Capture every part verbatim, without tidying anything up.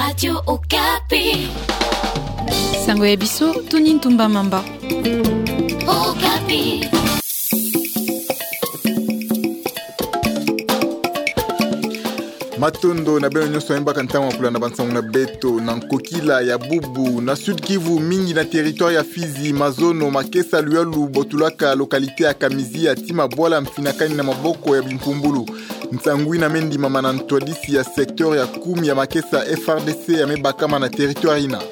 Radio Okapi. Sango ya biso, Tony Ntumba Mamba. Okapi. Matondo na beno nyonso yambo baka ntangu ya kulanda bansangu na beto. Na nkokila ya bubu, na Sud-Kivu, mingi na territoire ya Fizi, mazono, makesa luyalu botulaka localité ya Kamizia ti mabwala mfinakani na maboko ya bimpumbulu. Nsangu yina me ndimama na ntwadisi ya secteur ya kumi ya makesa F R D C ya me bakama na territoire yina.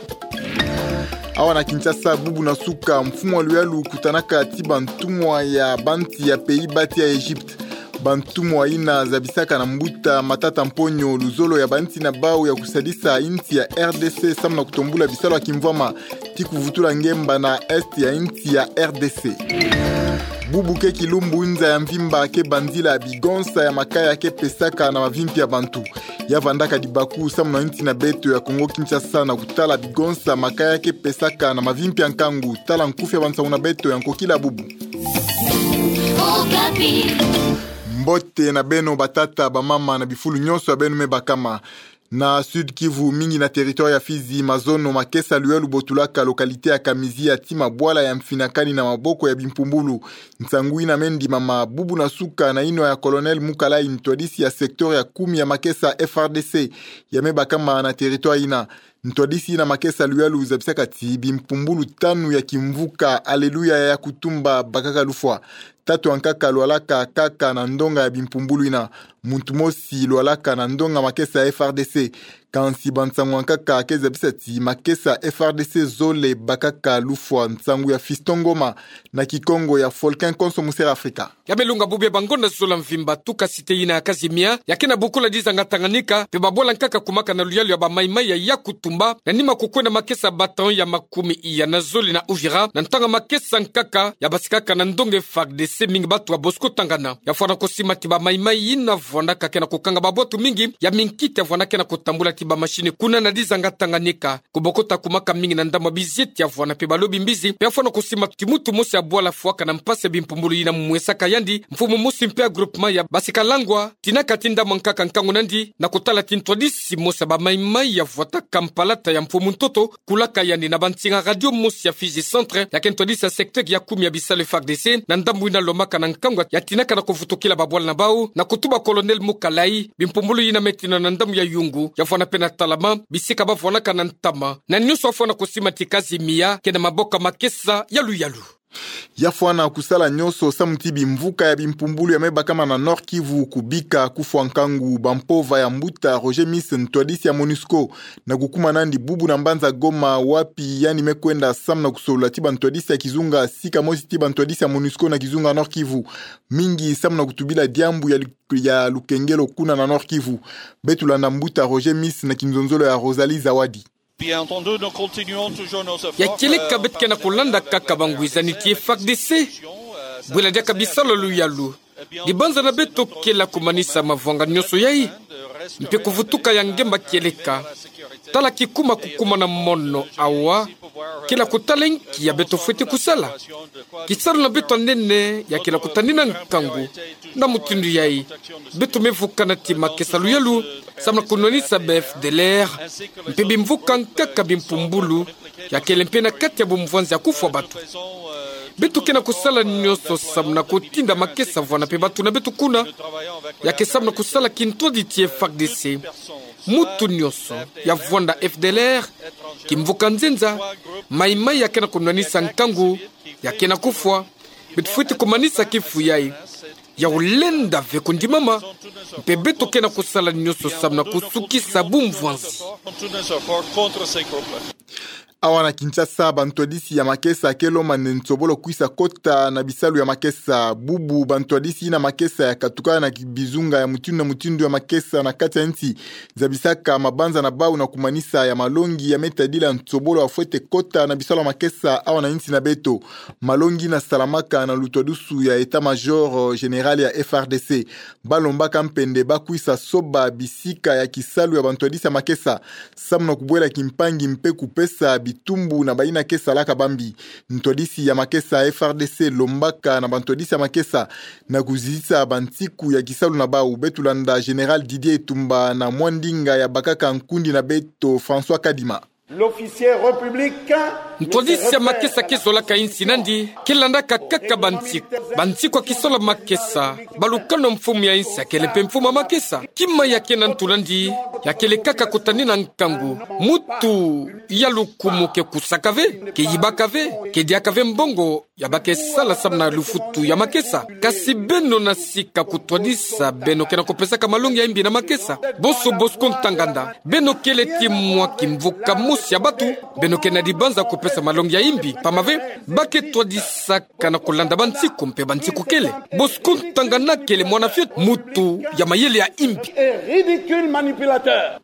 Awa na Kinshasa, bubu na suka, mfumu wa luyalu kutanaka ti bantumwa ya bansi ya Pays-Bas ti ya Egypte. Bantumwa yina zabisaka na mbuta Matata Mponyo luzolo ya bansi na bau ya kusadisa insi ya R D C samu na kutombula bisalu ya kimvwama ti kuvutula ngemba na est ya insi ya R D C. Bubu ke kilumbu, nza ya mvimba ke banzila bigonsa ya makaya ke pesaka na mavimpi ya bantu. Ya vandaka dibaku samu na insi na beto ya Kongo Kinshasa na kutala bigonsa makaya ke pesaka na mavimpi ya nkangu. Tala nkufi ya bansangu na beto ya nkokila bubu. Okapi. Mbote na beno batata, bamama na bifulu nyonso ya beno me bakama. Na Sud-Kivu, mingi na territoire ya Fizi, mazono, makesa luyalu botulaka localité ya Kamizia ti mabwala ya mfinakani na maboko ya bimpumbulu. Nsangu yina me ndimama bubu na suka na yinwa ya Colonel Mukalayi, ntwadisi ya secteur ya kumi ya makesa F R D C ya me bakama na territoire yina. Ntwadisi yina makesa luyalu zabisaka ti bimpumbulu tanu ya kimvuka Alléluia ya Yakutumba bakaka lufwa. Tatu yankaka lwalaka kaka na ndonga ya bimpumbulu yina. Muntu mosi lwalaka na ndonga makesa ya F R D C. Kansi bansangu yankaka ke zabisa ti makesa F R D C zole bakaka lufwa. Nsangu ya Fiston Ngoma na Kikongo ya Folkin Konso Musera Afrika. Ya me lunga bubu ya bangonda zola mvimba tuka cité yina ya Kazimia, ya ke na bukula dizanga Tanganyika, mpe babwala nkaka kumaka na luyalu ya ba Maï-Maï ya Yakutumba, na nima kukwenda makesa bataillon ya makumi iya na zole na Uvira, na ntangu makesa nkaka ya basikaka na ndonga F A R D C, mingi batu ya Bosco Ntaganda. Ya fwana kusima ti ba Maï-Maï yina vwandaka ke na kukanga babwatu mingi ya minkita ya vwanda ke na kutambula ti ba machine kuna na dizanga Tanganyika. Kubokota kumaka mingi na ndambu ya bizieti ya vwanda mpe balobi mbizi, mpe ya fwana kusima ti muntu mosi ya bwala fwaka na mpasi ya bimpumbulu yina mwesaka yandi, mfumu mosi mpe ya groupement ya Basikalangwa, tinaka ti ndambu yankaka nkangu nandi, na kutala ti ntwadisi mosi ya ba Maï-Maï ya vwataka mpalata ya mfumu ntoto, kulaka yandi na bansinga radio mosi ya Fizi Centre, ya ke ntwadisi ya secteur ya kumi ya bisalu F A R D C, na ndambu yina lomaka na nkangu ya tinaka na kuvutukila babwala na bau, na kutuba Colonel Mukalayi, bimpumbulu yina me tina na ndambu ya Yungu, ya vwanda mpe na Talama, bisika ba vwandaka na ntama, na nyonso ya fwana kusima ti Kazimia ke na maboko ya makesa ya luyalu. Ya fwana kusala nyonso samu ti bimvuka ya bimpumbulu ya me bakama na Nord-Kivu kubika kufwa nkangu bampova ya mbuta Roger Miss, ntwadisi ya MONUSCO, na kukuma nandi bubu na mbanza Goma, wapi yandi me kwenda samu na kusolola ti bantwadisi ya kizunga, sika mosi ti bantwadisi ya MONUSCO na kizunga Nord-Kivu, mingi samu na kutubila diambu ya lu-, ya lukengelo kuna na Nord-Kivu. Beto landa mbuta Roger Miss na kinzonzolo ya Rosalie Zawadi. Ya kieleka, beto ke na kulanda kaka bangwizani ti F A R D C, bwela diaka bisalu ya luyalu. Dibanzana beto kele kumanisa mavwanga nyonso yai, mpe kuvutuka ya ngemba kieleka. Tala kikuma kukuma na mono awa, kele kutala nki ya beto fwete kusala. Kisalu na beto ya nene ya kele kutanina nkangu. Na mutindu yai, beto me vukana ti makesa luyalu, samu na kunwanisa ba F D L R, mpe bimvuka nkaka bimpumbulu, ya kele mpe na kati ya bumvwanzi ya kufwa batu. Beto ke na kusala nyonso samu na kutinda makesa vwanda mpe batu na beto kuna, ya ke samu na kusala kintwadi ti F A R D C. Muntu nyonso ya vwanda F D L R, kimvuka nzenza, Maï-Maï ya ke na kunwanisa nkangu, ya ke na kufwa, beto fwete kumanisa kifu yai. Ya ulenda ve kundimama, mpe beto ke na kusala nyonso samu na kusukisa bumvwanzi. Awa na Kinshasa, bantwadisi ya makesa ke lomba nde nsobolo kwisa kota na bisalu ya makesa. Bubu bantwadisi na makesa ya katuka na ki-, bizunga ya mutindu na mutindu ya makesa na kati ya nsi, zabisaka mabanza na bau na kumanisa ya malongi ya me tadila nsobolo ya fwete kota na bisalu ya makesa awa na nsi na beto. Malongi na salamaka na lutwadusu ya État-Major, euh, Général ya F A R D C. Ba lombaka mpe nde ba kwisa soba bisika ya kisalu ya bantwadisi ya makesa, samu na kubwela kimpangi mpe kupesa bitumbu na bayina ke salaka bambi. Ntwadisi ya makesa F R D C lombaka na bantwadisi ya makesa na kuzitisa bansiku ya kisalu na bau. Beto landa Général Didier Itumba na mwa ndinga ya bakaka nkundi na beto François Kadima. L'officier républicain. Ntwadisi ya makesa ke zolaka insi nandi, ke landaka kaka bansiku. Bansiku ya kisalu ya makesa, balukano mfumu ya insi akele mpe mfumu ya makesa. Kima ya kena ntu nandi, ya kele kaka kutanina nkangu. Mutu ya lukumu ke kusaka ve, ke yibaka ve, ke diaka ve mbongo, ya ba ke sala samu na lufutu ya makesa. Kasi beno na sika kutwadisa, beno kena kupesaka malongi ya imbi na makesa. Bonso Bosco Ntanganda, beno kele ti mwa kimvuka mosi ya batu, beno kena dibanza kupesa malongi ya imbi. Pamave, ba ke twadisaka na kulanda bansiku mpe bansiku kele. Bosco Ntanganda kele mwana fioti, mutu ya mayele ya imbi. Et ridicule manipulateur.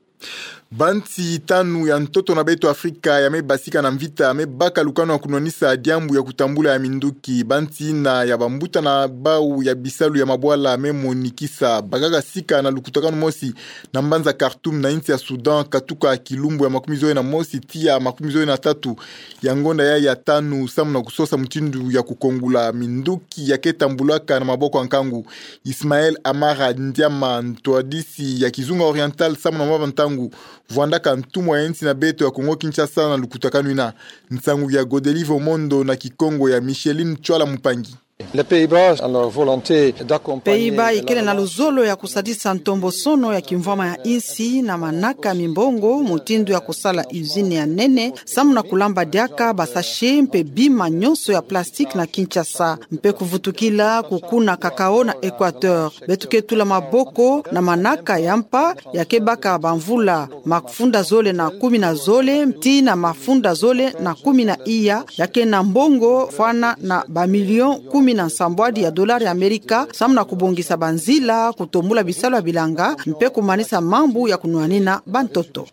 Bansi tanu ya ntoto na beto Afrika ya me basika na mvita, me baka lukanu ya kunwanisa diambu ya kutambula ya minduki. Bansi ina ya bambuta na bau ya bisalu ya mabwala me monikisa bakaka sika na lukutakanu mosi na mbanza Khartoum na insi ya Soudan, katuka kilumbu ya makumi zole na mosi tii ya makumi zole na tatu ya ngonda ya ya tanu, samu na kusosa mutindu ya kukongula minduki ya ke tambulaka na maboko ya nkangu. Ismaël Amara Ndiama, ntwadisi ya Kizunga Oriental samu na mwa bantangu, vwandaka ntumwa ya insi na beto ya Congo Kinshasa na lukutakanu ina. Nsangu ya Godelive Omondo na Kikongo ya Micheline Tchwala Mupangi. Les Pays-Bas ont la volonté d'accompagner. Pays-Bas ikele na luzolo ya kusadisa ntombosono ya kimvwama ya insi na manaka ya mimbongo, mutindu ya kusala usine ya nene, samu na kulamba diaka ba sachet mpe bima nyonso ya plastique na Kinshasa, mpe kuvutukila kukuna cacao na Équateur. Beto ke tula maboko na manaka ya mpa ya ke baka bamvula mafunda zole na kumi na zole tii na mafunda zole na kumi na iya, ya ke na mbongo fwana na ba million kumi na nsambwadi ya dollar ya Amerika, samu na kubongisa banzila, kutombula bisalu ya bilanga, mpe kumanisa mambu ya kunwanina bantoto.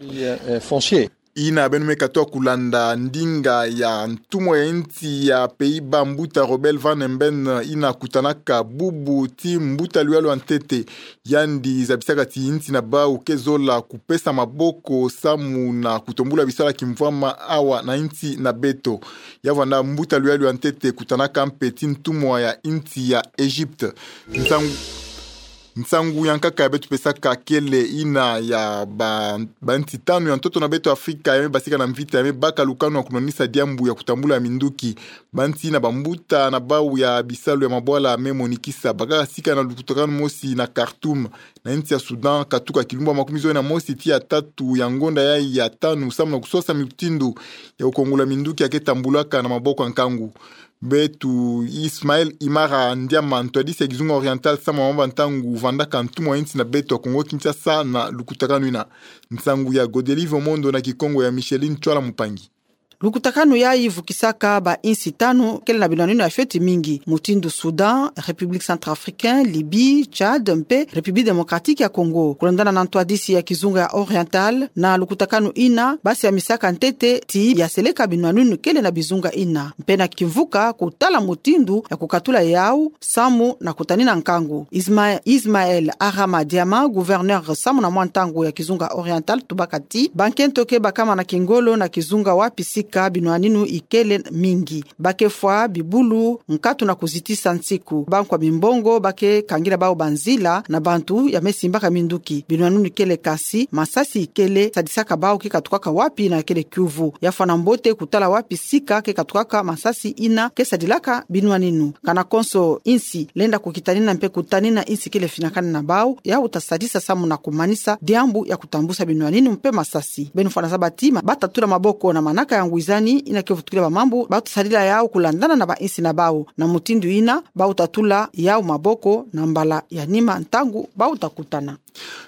Ina beno me katuka kulanda ndinga ya ntumwa ya insi ya Pays-Bas, mbuta Robel van Emben, ina kutanaka bubu ti mbuta luyalu ya ntete. Yandi zabisaka ti insi na bau ke zola kupesa maboko samu na kutombula bisalu ya kimvwama awa na insi na beto. Ya vwanda mbuta luyalu ya ntete kutanaka mpe ti ntumwa ya insi ya Egypte. Nsangu, nsangu ya nkaka ya beto pesaka kele ina ya ba, bansi tanu ya ntoto na beto Afrika ya me basika na mvita, ya me baka lukanu ya kunwanisa diambu ya kutambula ya minduki. Bansi ina bambuta na bau ya bisalu ya mabwala me monikisa bakaka sika na lukutakanu mosi na Khartoum na insi ya Soudan, katuka kilumbu ya makumi zole na mosi tii ya tatu ya ngonda ya ya tanu, samu na kusosa mutindu ya kukongula minduki ya ke tambulaka na maboko ya nkangu. Beto Ismaël Amara Ndiama, ntwadisi ya Kizunga Oriental samu na mwa bantangu, vwandaka ntumwa ya insi na beto ya Congo Kinshasa na lukutakanu ina. Nsangu ya Godelive Omondo na Kikongo ya Micheline Tchwala Mupangi. Lukutakanu yayi vukisaka ba insi tanu kele na binwaninu ya fioti mingi, mutindu Soudan, République Centrafricaine, Libye, Tchad mpe République Démocratique ya Congo. Kulandana na ntwadisi ya Kizunga ya Oriental, na lukutakanu ina, ba siamisaka ntete ti ya seleka binwaninu kele na bizunga ina, mpe na kimvuka kutala mutindu ya kukatula yau samu na kutanina nkangu. Isma-, Ismaël Amara Ndiama, gouverneur samu na mwa ntangu ya Kizunga Oriental, tubaka ti bankento ke bakama na kingolo na kizunga wapi sika binwaninu ikele mingi. Ba ke fwa bibulu nkatu na kuzitisa nsiku. Bankwa mimbongo ba ke kangila bau banzila na bantu ya me simbaka minduki. Binwaninu ikele, kasi masasi ikele, sadisaka bau ke katukaka wapi na kele kiuvu. Ya fwana mbote kutala wapi sika ke katukaka masasi ina ke sadilaka binwaninu. Kana konso insi lenda kukitanina mpe kutanina insi kele finakana na bau, yau ta sadisa samu na kumanisa diambu ya kutambusa binwaninu mpe masasi. Beno fwana zaba ti ma-, ba ta tula maboko na manaka ya ngwizani ina ke vutukila ba mambu ba ta sadila yau kulandana na ba insi na bau. Na mutindu ina, bau ta tula yau maboko na mbala ya nima ntangu bau ta kutana.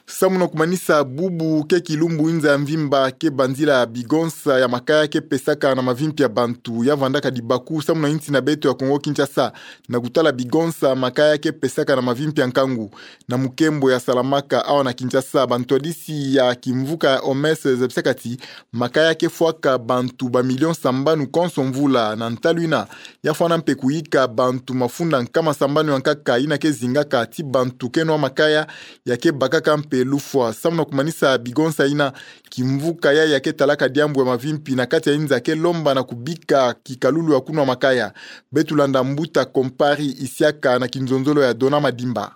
Samu na kumanisa bubu, ke kilumbu inza ya mvimba ke banzila bigonsa ya makaya ke pesaka na mavimpi ya bantu. Ya vwandaka dibaku samu na insi na beto ya Congo Kinshasa na kutala bigonsa makaya ke pesaka na mavimpi ya nkangu. Na mukembo ya Salamaka awa na Kinshasa, bantwadisi ya kimvuka ya O M S zabisaka ti makaya ke fwaka bantu ba milion sambanu konso mvula. Na ntalu ina, ya fwana mpe kuyika bantu mafunda nkama sambanu ya nkaka ina ke zingaka ti bantu ke nwa makaya, ya ke bakaka mpe lufwa. Samu na kumanisa bigonsa ina, kimvuka yayi ya ke talaka diambu ya mavimpi na kati ya inza ke lomba na kubika kikalulu ya kunwa makaya. Beto landa mbuta Kompari Isiaka na kinzonzolo ya Dona Madimba.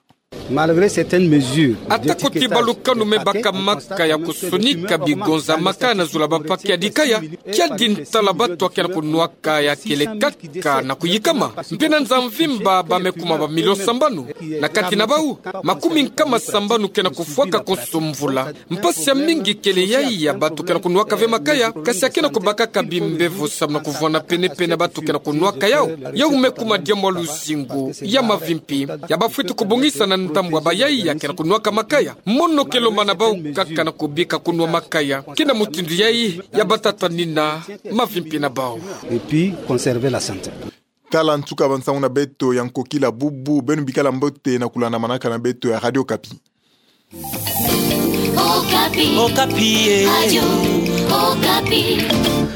Malgré certaines mesures, ata ko ti balukanu me baka makaya kusonika bigonza makaya na zola ba paquet ya dikaya, kiadi ntala batu akena kunwaka ya kele kaka na kuyikama. Mpe na nza mvimba ba me kuma ba milion sambanu. Na kati na bau, makumi nkama sambanu kena kufwaka konso mvula. Mpasi ya mingi kele yayi ya batu kena kunwaka ve makaya, kasi akena kubakaka bimbevo samu na kuvwanda penepene batu kena kunwaka yau. Yau me kuma diambu ya luzingu ya mavimpi ya bafweti kubongisa na ntambwa ba yayi ya kena kunwaka makaya. Mono ke lomba na bau kaka na kubika kunwa makaya. Kina mutindu yayi ya batatanina mavimpi na bau. Et puis conserver la santé. Tala nsuka ba nsangu na beto ya nkokila bubu, beno bikala mbote na kulanda manaka na beto ya Radio Okapi. Okapi. Okapi, eh. Radio Okapi.